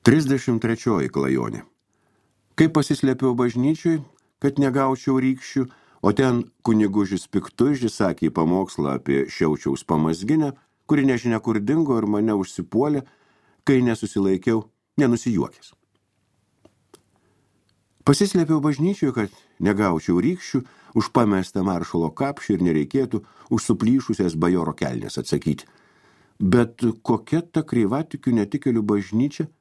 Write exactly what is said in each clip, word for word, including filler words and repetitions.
trisdešimt trečioji klajonė. Kai pasislėpiau bažnyčioj, kad negaučiau rykščių, o ten kunigužis Piktuižis sakė pamokslą apie Šiaučiaus pamazginę, kuri nežinia kur dingo ir mane užsipuolė, kai nesusilaikiau, nenusijuokęs. Pasislėpiau bažnyčioj, kad negaučiau rykščių, už pamestą maršalo kapšį ir nereikėtų už suplyšusias bajoro kelnes atsakyti. Bet kokia ta kreivatikių netikėlių bažnyčia,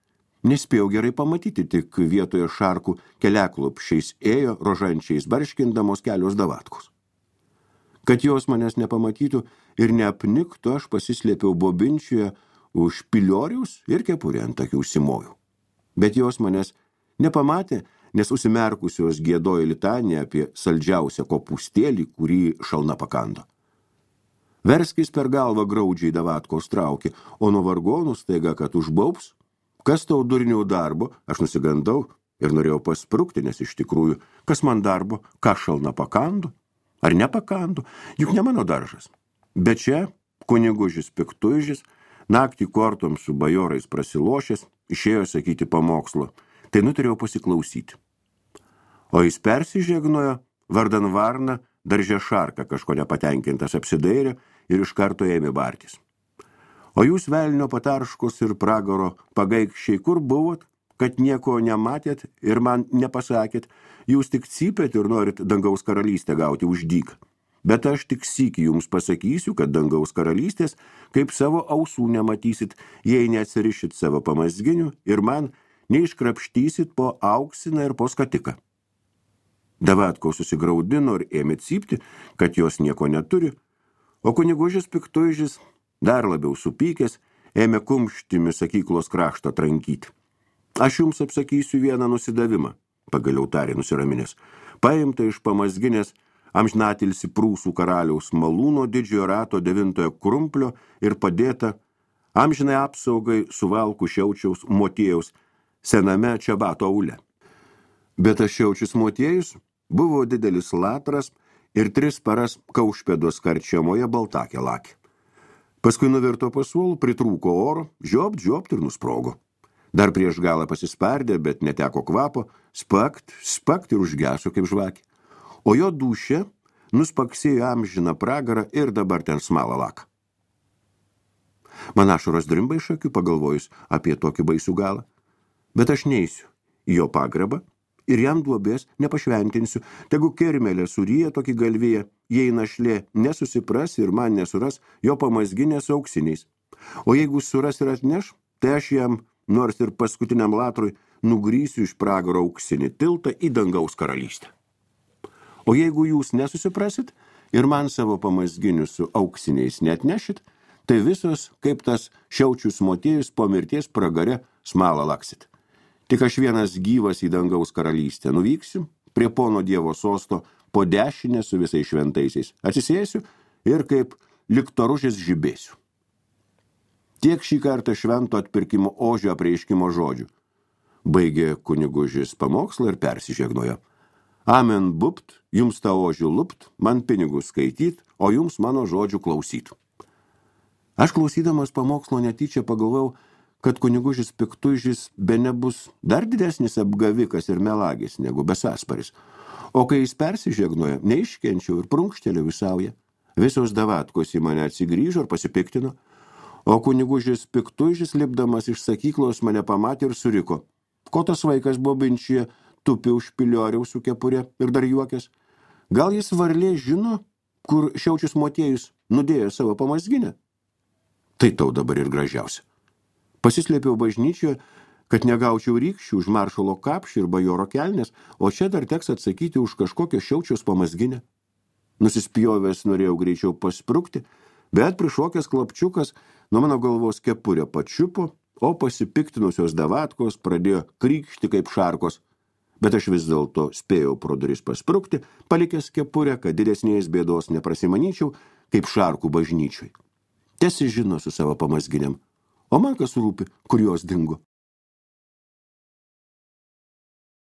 nespėjau gerai pamatyti, tik vietoje šarkų keliaklopšiais ėjo rožančiais barškindamos kelios davatkos. Kad jos manęs nepamatytų ir neapniktų, aš pasislėpiau bobinčioje už pilioriaus ir kepurę ant akių užsimojau. Bet jos manęs nepamatė, nes užsimerkusios giedojo litaniją apie saldžiausią kopūstėlį, kurį šalna pakando. Verskis per galvą graudžiai davatkos traukė, o nuo vargonų staiga, kad užbaubs, kas tau durnių darbo, aš nusigandau ir norėjau pasprukti, nes iš tikrųjų, kas man darbo, ką šalna pakandu, ar nepakandu, juk ne mano daržas. Bet čia kunigužis Piktuižis, naktį kortom su bajorais prasilošęs, išėjo sakyti pamokslo, tai nuturėjau pasiklausyti. O jis persižegnojo, vardan varna, daržė šarką kažko nepatenkintas apsidairė ir iš karto ėmė bartis. O jūs velnio patarškos ir pragaro pagaikščiai, kur buvot, kad nieko nematėt ir man nepasakėt, jūs tik cypėt ir norit dangaus karalystę gauti už dyką. Bet aš tik sykį jums pasakysiu, kad dangaus karalystės, kaip savo ausų nematysit, jei neatsirišit savo pamazginių ir man neiškrapštysit po auksiną ir po skatiką. Davatko susigraudino ir ėmė cypti, kad jos nieko neturi, o kunigužis Piktuižis, dar labiau supykęs, ėmė kumštimi sakyklos kraštą trankyti. Aš jums apsakysiu vieną nusidavimą, pagaliau tarė nusiraminęs, paimta iš pamazginės amžinatilsi Prūsų karaliaus malūno didžiojo rato devintojo krumplio ir padėta amžinai apsaugai suvalkų Šiaučiaus motiejaus sename Čabato aule. Bet tas Šiaučius motiejus buvo didelis latras ir tris paras kaušpėdos karčiamoje baltakė lakė. Paskui nuvirto pasuolų, pritrūko oro, žiopt, žiopt ir nusprogo. Dar prieš galą pasispardė, bet neteko kvapo, spakt, spakt ir užgeso kaip žvakė. O jo dūšė nuspaksėjo amžiną pragarą ir dabar ten smala laka. Man ašaros drimba iš akių pagalvojus apie tokį baisų galą. Bet aš neisiu į jo pagrebą ir jam duobės nepašventinsiu, tegu kermelė suryja tokį galviją, jei našlė nesusipras ir man nesuras jo pamazginės auksiniais. O jeigu suras ir atneš, tai aš jam, nors ir paskutiniam latrui, nugrysiu iš pragaro auksinį tiltą į dangaus karalystę. O jeigu jūs nesusiprasit ir man savo pamazginius su auksiniais neatnešit, tai visos, kaip tas Šiaučius motiejus po mirties pragare smalą laksit. Tik aš vienas gyvas į dangaus karalystę nuvyksiu, prie pono Dievo sosto, po dešinę su visais šventaisiais. Atsisėsiu ir kaip liktoružės žibėsiu. Tiek šį kartą švento atpirkimo ožio apreiškimo žodžių. Baigė kunigužis pamokslą ir persižegnojo. Amen bupt, jums tą ožių lupt, man pinigus skaityt, o jums mano žodžių klausyt. Aš klausydamas pamokslo netyčia pagalvojau, kad kunigužis Piktuižis bene bus dar didesnis apgavikas ir melagis negu besasparis. O kai jis persižegnojo, neiškenčiau ir prunkštelėjau į saują. Visos davatkos į mane atsigrįžo ir pasipiktino, o kunigužis Piktuižis lipdamas iš sakyklos mane pamatė ir suriko. Ko tas vaikas bobinčyje tupi už pilioriaus su kepurė ir dar juokės? Gal jis varlė žino, kur Šiaučius motiejus nudėjo savo pamazginę? Tai tau dabar ir gražiausia. Pasislėpiau bažnyčioje, kad negaučiau rykščių už maršalo kapšį ir bajoro kelnes, o čia dar teks atsakyti už kažkokią Šiaučiaus pamazginę. Nusispjovęs norėjau greičiau pasprukti, bet prišokęs klapčiukas nuo mano galvos kepurę pačiupo, o pasipiktinusios davatkos pradėjo krykšti kaip šarkos. Bet aš vis dėlto spėjau pro duris pasprukti, palikęs kepurę, kad didesnės bėdos neprasimanyčiau, kaip šarkų bažnyčioj. Tesi žino su savo pamazginėm, o man kas rūpi, kur jos dingo.